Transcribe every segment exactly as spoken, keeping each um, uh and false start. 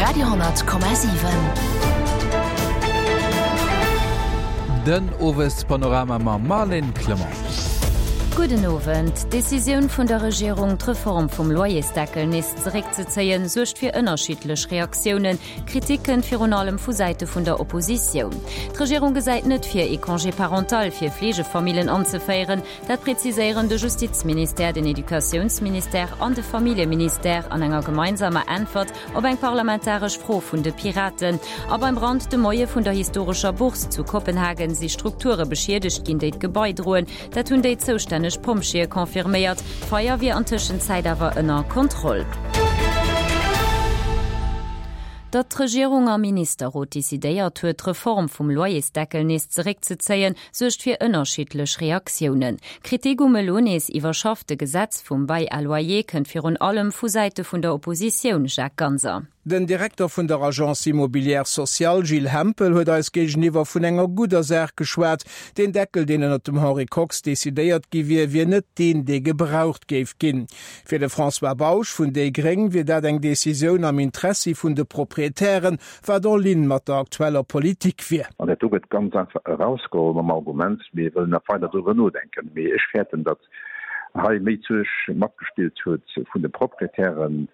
Radio honnert Komma siwen. Den Owespanorama mam Marlène Clement. Gudden Owend. D'Decisioun vun der Regierung, d'Reform vum Loyersdeckel nees zeréckzezéien, suergt fir ënnerschiddlech Reaktiounen. Kritik kënnt virun allem vu Säite vun der Oppositioun. D'Regierung gesäit net vir, ee Congé parental fir Fleegefamillen anzeféieren. Dat präziséieren de Justizministère, den Educatiounsministère an de Familljeministère an enger gemeinsamer Äntwert op eng parlamentaresch Fro vun de Piraten. A beim Brand de Moie vun der historescher Bourse zu Kopenhagen si Strukture beschiedegt ginn, déi d'Gebai droen. Dat hunn déi zoustänneg Pompjeeë confirméiert. D'Feier wier an Tëschenzäit awer ënner Kontroll. Datt d'Regierung am Ministerrot decidéiert huet, d'Reform vum Loyersdeckel nees zeréckzezéien, suergt fir ënnerschiddlech Reaktiounen. Kritik um elo nees iwwerschaffte Gesetz vum Bail à loyer kënnt virun allem vu Säite vun der Oppositioun, Jacques Ganser. Den Direkter vun der Agence Immobilière Sociale, Gilles Hempel, huet eis géigeniwwer vun enger gudder Saach geschwat. Deen Deckel, deen ënnert dem Henri Kox decidéiert gi wier, wier net deen, dee gebraucht géif ginn. Fir de François Bausch vun déi Gréng wier dat eng Decisioun am Interessi vun de Proprietären, wat en ligne mat der aktueller Politik wier. An dat do gëtt ganz einfach erausgeholl mam Argument, mir wëllen nach weider driwwer nodenken. Mee ech fäerten, datt hei méi d'Suerg matgespillt huet vun de Proprietären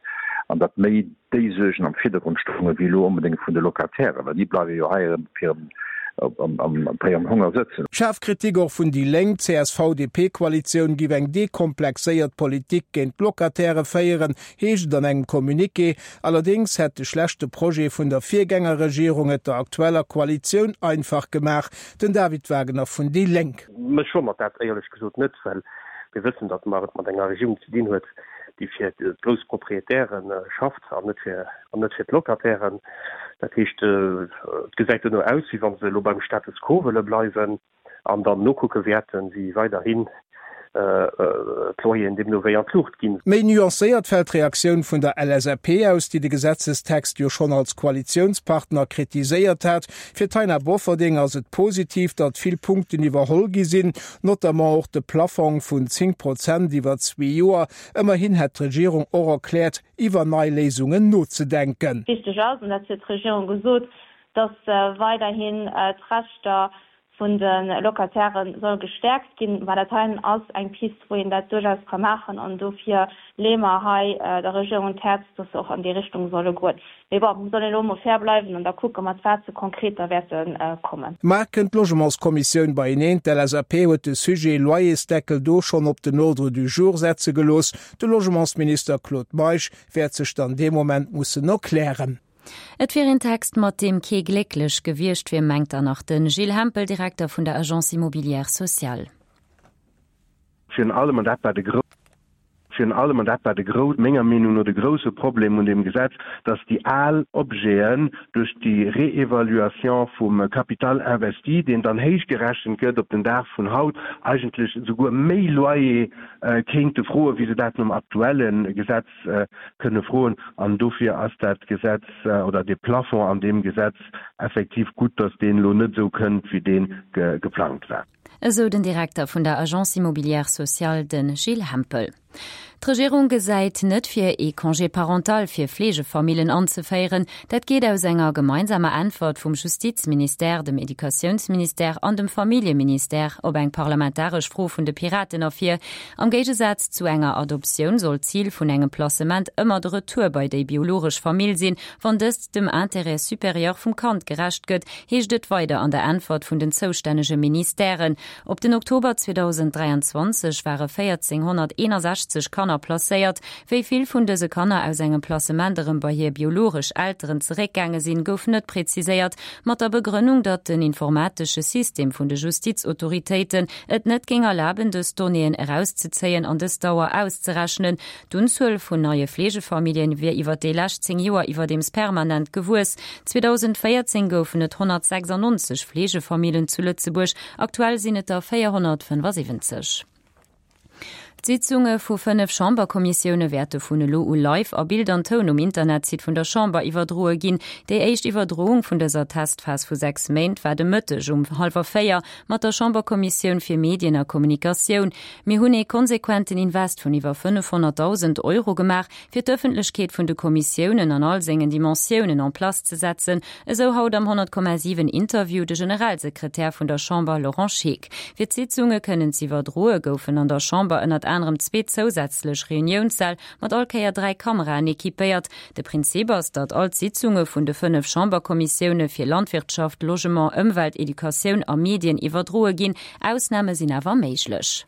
an datt méi déi Suergen am Virdergrond stoungen, wéi elo onbedéngt vun de Locatairen, well déi bleiwe jo hei erëm op hirem, op hirem Honger sëtzen. Schaarf Kritik och vun déi Lénk. D'CSV-DP-Koalitioun giff eng dekomplexéiert Politik géint d'Locataire féieren, heescht et an engem Communiqué. Allerdéngs hätt de schlechte Projet vun der Virgängerregierung et der aktueller Koalitioun einfach gemaach. Den David Wagner vun déi Lénk. Mech wonnert dat éierlech gesot net, well mir wëssen, datt mer et mat enger Regierung ze dinn huet, déi fir d'grouss Proprietäre schafft an net fir an net fir d'Locatairen. Dat heescht, et gesäit duerno aus, wéi wa se elo beim Status quo wëlle bleiwen an dann nokucke wäerten, wéi weiderhin d'Loyeren deemno wéi an d'Luucht ginn. Méi nuancéiert fält d'Reaktioun vun der L S A P aus, déi de Gesetzestext jo schonn als Koalitiounspartner kritiséiert hat. Fir d'Taina Bofferding ass et positiv, datt vill Punkten iwwerholl gi sinn, notamment och de Plafong vun zéng Prozent iwwer zwee Joer. Ëmmerhin hätt d'Regierung och erkläert, iwwer nei Léisungen nozedenken. Wichteg ass, an dat huet d'Regierung gesot, datt weiderhin d'Rechter vun de Locataire soll gestäerkt ginn. Mä dat heien ass eng Pist, wou een dat duerchaus ka maachen. An dofir leeë mer hei der Regierung un d'Häerz, dass se och an déi Richtung solle goen. Mee bon, mir sollen elo emol fair bleiwen an da kucke mat wat se konkret da wäerte kommen. Mar kënnt d'Logementskommissioun beieneen. D'L S A P huet de Sujet Loyersdeckel do schonn op den Ordre du jour setze gelooss. De Logementsminister Claude Meisch wäert sech dann dee Moment mussen erklären. Et wier een Text, mat deem kee glécklech gewiescht wier, mengt dann nach de Gilles Hempel, Direkter vun der Agence Immobilière Sociale. Virun allem, an dat war de gro-, virun allem, an dat war de gro-, menger Meenung no de grouse Problem un deem Gesetz, dass déi al Objeten duerch déi Réévaluation vum Capital investi, deen dann héich gerechent gëtt op den Dag vun haut, eigentlech esouguer méi Loyer kéinte froen, wéi se dat nom aktuelle Gesetz kënne froen. An dofir ass dat Gesetz oder de Plafond an deem Gesetz effektiv gutt, dass deen elo net esou kënnt, wéi deen ge-, geplangt war. Esou den Direkter vun der Agence Immobilière Sociale, den Gilles Hempel. D'Regierung gesäit net vir, ee Congé parental fir Fleegefamillen anzeféieren. Dat geet aus enger gemeinsamer Äntwert vum Justizministère, dem Educatiounsministère an dem Familljeministère op eng parlamentaresch Fro vun de Piraten ervir. Am Géigesaz zu enger Adoptioun soll d'Zil vun engem Placement ëmmer de Retour bei déi biologesch Famill sinn, wann dëst dem Intérêt supérieur vum Kand gerecht gëtt, heescht et weider an der Äntwert vun den zoustännege Ministèren. Op den Oktober zweetausenddräianzwanzeg ware véierzénghonnerteenundsechzeg Kanner placéiert. Wéi vill vun dëse Kanner aus engem Placement erëm bei hir biologesch Elteren zeréckgaange sinn, gouf net präziséiert, mat der Begrënnung, datt den informatesche System vun de Justizautoritéiten et net géing erlaben, dës Donnéeën erauszezéien an dës Dauer auszerechnen. D'Unzuel vun neie Fleegefamilljen wier iwwer déi lescht zéng Joer iwwerdeems permanent gewuess. zweetausendvéierzéng goufen et honnertsechsundneunzeg Fleegefamillen zu Lëtzebuerg, aktuell sinn et der véierhonnertfënnefundsiwwenzeg. D'Sitzunge vu fënnef Chamberkommissioune wäerte vun elo u live a Bild an Toun um Internetsite vun der Chamber iwwerdroe ginn. Déi éischt Iwwerdroung vun dëser Testphas vu sechs Méint war de Mëtteg um hallwer véier mat der Chamberkommissioun fir Medien a Kommunikatioun. Mir hunn ee konsequenten Invest vun iwwer fënnefhonnertdausend Euro gemaach, fir d'Ëffentlechkeet vun de Kommissiounen an all sengen Dimensiounen en place ze setzen, esou haut am honnert Komma siwen Interview de Generalsekretär vun der Chamber Laurent Scheeck. Fir d'Sitzunge kënnen z'iwwerdroe goufen an der Chamber ënnert anerem zwee zousätzlech Reuniounssäll mat all Kéier dräi Kameraen equipéiert. De Prinzip ass, datt all d'Sitzunge vun de fënnef Chamberkommissioune fir Landwirtschaft, Logement, Ëmwelt, Educatioun a Medien iwwerdroe ginn. Ausname sinn awer méiglech.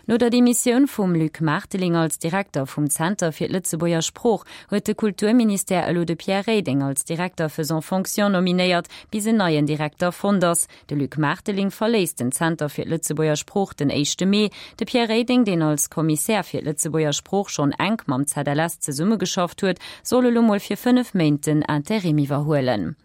No der Demissioun vum Luc Marteling als Direkter vum Zenter fir d'Lëtzebuerger Sprooch huet de Kulturministère elo de Pierre Reding als Directeur faisant fonction nominéiert, bis en neien Direkter fonnt ass. De Luc Marteling verléisst den Zenter fir d'Lëtzebuerger Sprooch den éischte Mee. De Pierre Reding, deen als Kommissär fir d'Lëtzebuerger Sprooch schonn enk mam Z L S zesummegeschafft huet, soll elo mol fir fënnef Méint den Interim iwwerhuelen.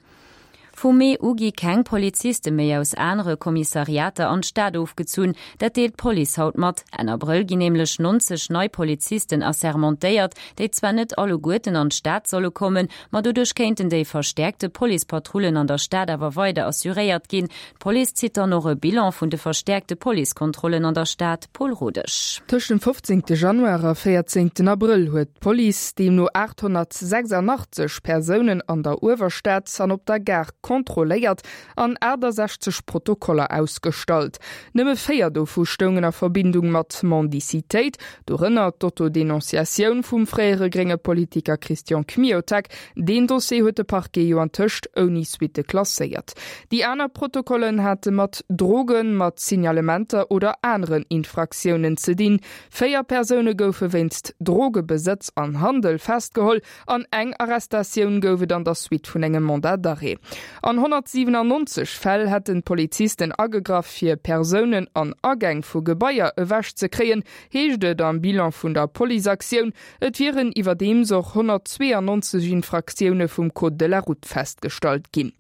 Vum Mee u gi keng Poliziste méi aus anere Kommissariater an d'Stad ofgezunn. Dat deelt d'Police haut mat. Enn Abrëll ginn nämlech neunzeg nei Polizisten assermentéiert, déi zwar net alleguerten an d'Stad solle kommen, ma doduerch kéinten déi verstäerkte Policepatrullen an der Stad awer weider assuréiert ginn. D'Police zitt dann och e Bilan vun de verstäerkte Policekontrollen an der Stad, Paul Rodesch. Tëscht dem fofzéngte Januar a véierzéngten Abrëll huet d'Police deemno aathonnertsechsandachtzeg Persounen an der Uewerstad an op der Gare kontrolléiert an aachtasechzeg Protokoller ausgestallt. Nëmme véier dovu stoungen a Verbindung mat Mendicitéit, dorënner d'Autodenonciatioun vum fréiere grénge Politiker Christian Kmiotek. Deen Dossier huet de Parquet jo antëscht ouni Suitte klasséiert. Déi aner Protokollen hate mat Drogen, mat Signalementer oder aneren Infraktiounen ze dinn. Véier Persoune goufe wéinst Drogebesëtz an Handel festgeholl an eng Arrestatioun gouf et an der Suite vun engem Mandat d'arrêt. An honnertsiwenannonzeg Fäll hätten d'Polizisten agegraff fir Persounen an Agäng vu Gebaier ewech ze kréien, heescht et am Bilan vun der Policeaktioun. Et wieren iwwerdeems och honnertzweeanonzeg Infraktioune vum Code de la route festgestallt ginn.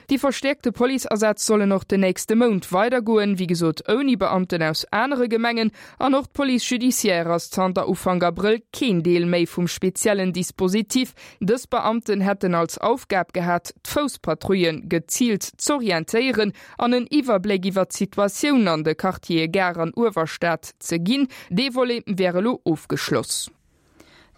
Déi verstäerkte Policeasätz sollen och den nächste Mount weidergoen, wéi gesot ouni Beamten aus anere Gemengen. An och d'Police judiciaire ass zanter Ufank Abrëll keen Deel méi vum speziellen Dispositif. Dës Beamten hätten als Aufgab gehat, d'Fousspatrouillen geziilt z'orientéieren an en Iwwerbléck iwwer d'Situatioun an de Quartiere Gare an Uewerstad ze ginn. Dee Volet wär elo ofgeschloss.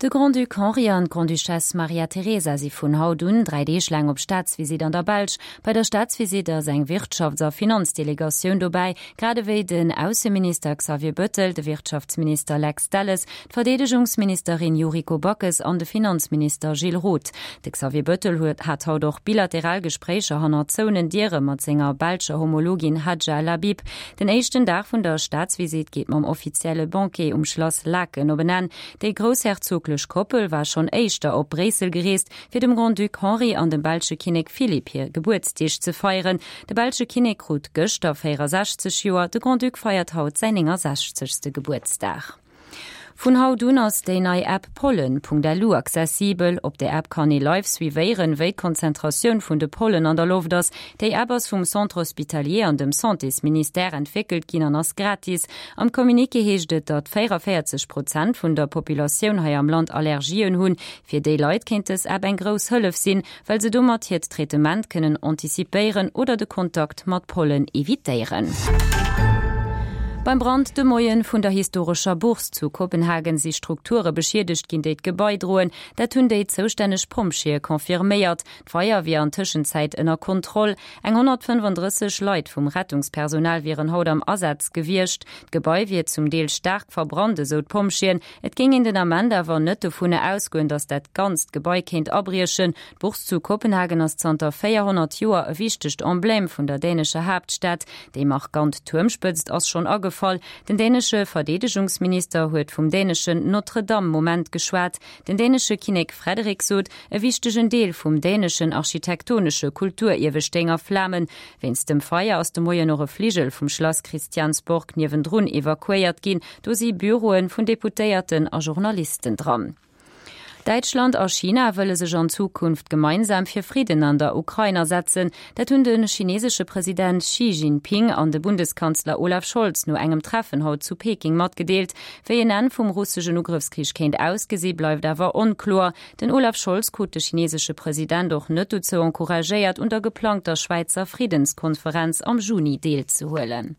De Grand-Duc Henri an d'Grande-Duchesse Maria Teresa si vun haut un dräi Deeg laang op Staatsvisitt an der Belsch. Bei der Staatsvisitt ass eng Wirtschafts a Finanzdelegatioun dobäi, grad ewéi den Ausseminister Xavier Bettel, de Wirtschaftsminister Lex Delles, d'Verdeedegungsministerin Yuriko Backes an de Finanzminister Gilles Roth. De Xavier Bettel huet hat haut och bilateral Gespréicher hannert zouenen Diere mat senger belscher Homologin Hadja Lahbib. Den éischten Dag vun der Staatsvisitt geet mam offizielle Banquet um Schlass Laeken op en Enn. Déi groussherzoglech Koppel war schonn éischter op Bréissel gereest, fir dem Grand-Duc Henri an dem belsche Kinnek Philippe hir Gebuertsdeeg ze feieren. De belsche Kinnek krut gëschter véierasechzeg Joer, de Grand-Duc feiert haut säin néngasechzegste Gebuertsdag. Vun haut un ass déi nei App Pollen.lu accessibel. Op der App kann ee live suivéieren, wéi d'Konzentratioun vun de Pollen an der Loft ass. Déi App ass vum Centre Hospitalier an dem Santésministère entwéckelt ginn an ass gratis. Am Communiqué heescht et, datt véierunvéierzeg Prozent vun der Populatioun hei am Land Allergien hunn. Fir déi Leit kéint dës App eng grouss Hëllef sinn, well se domat hiert Traitement kënnen antizipéieren oder de Kontakt mat Pollen evitéieren. Beim Brand de Moien vun der historescher Bourse zu Kopenhagen si Strukture beschiedegt ginn, déi d'Gebai droen. Dat hunn déi zoustänneg Pompjeeë confirméiert. D'Feier wier an Tëschenzäit ënner Kontroll. Eng honnertfënnefandrësseg Leit vum Rettungspersonal wieren haut am Asaz gewiescht. D'Gebai wier zum Deel staark verbrannt, esou d'Pompjeeën. Et géing een den Ament awer net dovun ausgoen, datt dat ganzt Gebai kéint abriechen. D'Bourse zu Kopenhagen ass zanter véierhonnert Joer e wichtegt Emblème vun der dänescher Haaptstad. Déi markant Tuermspëtzt ass schonn agefall. Den dänesche Verdeedegungsminister huet vum däneschen Notre-Dame-Moment geschwat. Den dänesche Kinnek Frederik sot, e wichtegen Deel vum däneschen architektonesche Kulturierwe stéing a Flamen. Wéinst dem Feier ass de Moien och e Fligel vum Schlass Christiansborg niewendrun evakuéiert ginn. Do si Büroe vun Deputéierten a Journalisten dran. Däitschland a China wëlle sech an Zukunft gemeinsam fir Fridden an der Ukrain asetzen. Dat hunn de chinesesche President Xi Jinping an de Bundeskanzler Olaf Scholz no engem Treffen haut zu Peking matgedeelt. Wéi en Enn vum russeschen Ugrëffskrich kéint ausgesi bleift awer onkloer. Den Olaf Scholz krut de chinesesche President och net dozou encouragéiert, un der geplangter Schwäizer Friddenskonferenz am Juni deelzehuelen.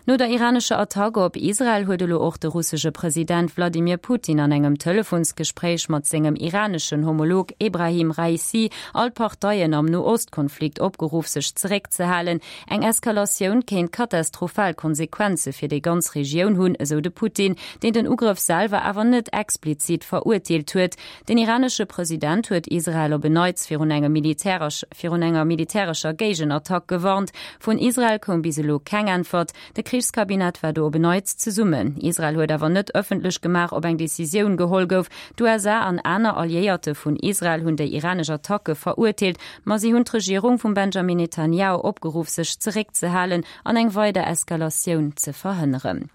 No der iranescher Attack op Israel huet elo och de russesche President Wladimir Putin an engem Telefonsgespréich mat sengem iraneschen Homolog Ebrahim Raisi all d'Parteien am No-Ost-Konflikt opgeruff sech zeréckzehalen. Eng Eskalatioun kéint katastrophal Konsequenze fir déi ganz Regioun hunn, esou de Putin, deen den Ugrëff selwer awer net explizit verurteelt huet. Den iranesche President huet Israel op en Neits virun engem militäresch virun enger militärescher Géigenattack gewarnt. Vun Israel koum bis elo keng Äntwert. De Krichskabinett war do op en Neits zesummen. Israel huet awer net ëffentlech gemaach, ob eng Decisioun geholl gouf. D'USA an aner Alliéierte vun Israel hunn déi iranesch Attacke verurteelt, ma si hunn d'Regierung vum Benjamin Netanjahu opgeruff, sech zeréckzehalen an eng weider Eskalatioun ze verhënneren.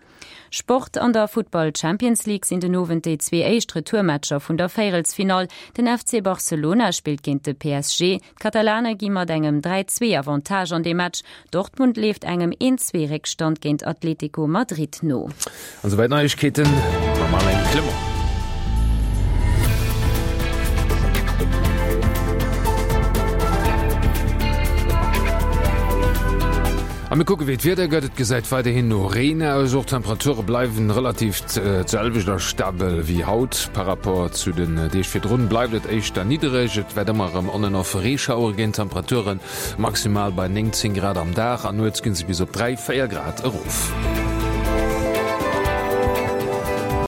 Sport, An der Futtball Champions League sinn den Owend déi zwee éischt Retourmatcher vun der Véierelsfinall. Den F C Barcelona spillt géint de P S G. D'Katalane gi mat engem dräi-zwee Avantage an dee Match. Dortmund leeft engem een-zwee Réckstand géint Atlético Madrid no. An esouwäit Neiegkeeten mam Marlène Clement. A mir kucke wéi d'Wieder gëtt. Et gesäit weiderhin no Reen aus. Och d'Temperature bleiwen relativ d'selwecht a stabel wéi haut. Par rapport zu den Deeg virdrun bleift et éischter niddereg. Et wäert ëmmer erëm on an off Reeschauere ginn. D'Temperature maximal bei néngzéng Grad am Dag an nuets ginn se bis op dräi, véier Grad erof.